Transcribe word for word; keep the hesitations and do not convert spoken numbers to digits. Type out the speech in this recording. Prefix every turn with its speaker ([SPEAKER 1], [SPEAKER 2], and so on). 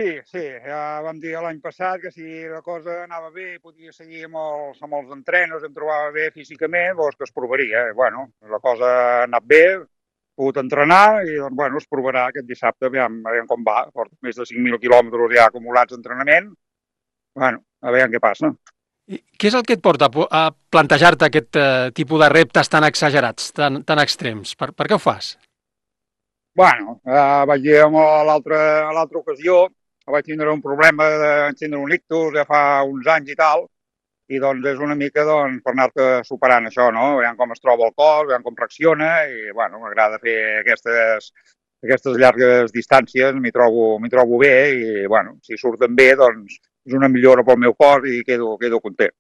[SPEAKER 1] Sí, sí, ja vam dir l'any passat que si la cosa anava bé i podia seguir amb els, amb els entrenos, em trobava bé físicament, doncs que es provaria. I, bueno, la cosa ha anat bé, he pogut entrenar i, doncs, bueno, es provarà aquest dissabte, aviam, aviam com va. Porto més de cinc mil quilòmetres ja acumulats d'entrenament. Bueno, a veure què passa.
[SPEAKER 2] I què és el que et porta a po- a plantejar-te aquest eh, tipus de reptes tan exagerats, tan, tan extrems? Per, per què ho fas?
[SPEAKER 1] Bueno, eh, vaig dir a l'altra a l'altra ocasió, vaig tindre un problema de vaig tindre un ictus ja fa uns anys i tal, i doncs és una mica doncs, per anar-te superant això, no? Veiem com es troba el cos, veiem com reacciona i, bueno, m'agrada fer aquestes, aquestes llargues distàncies, m'hi trobo, m'hi trobo bé i, bueno, si surten bé, doncs és una millora pel meu cos i quedo, quedo content.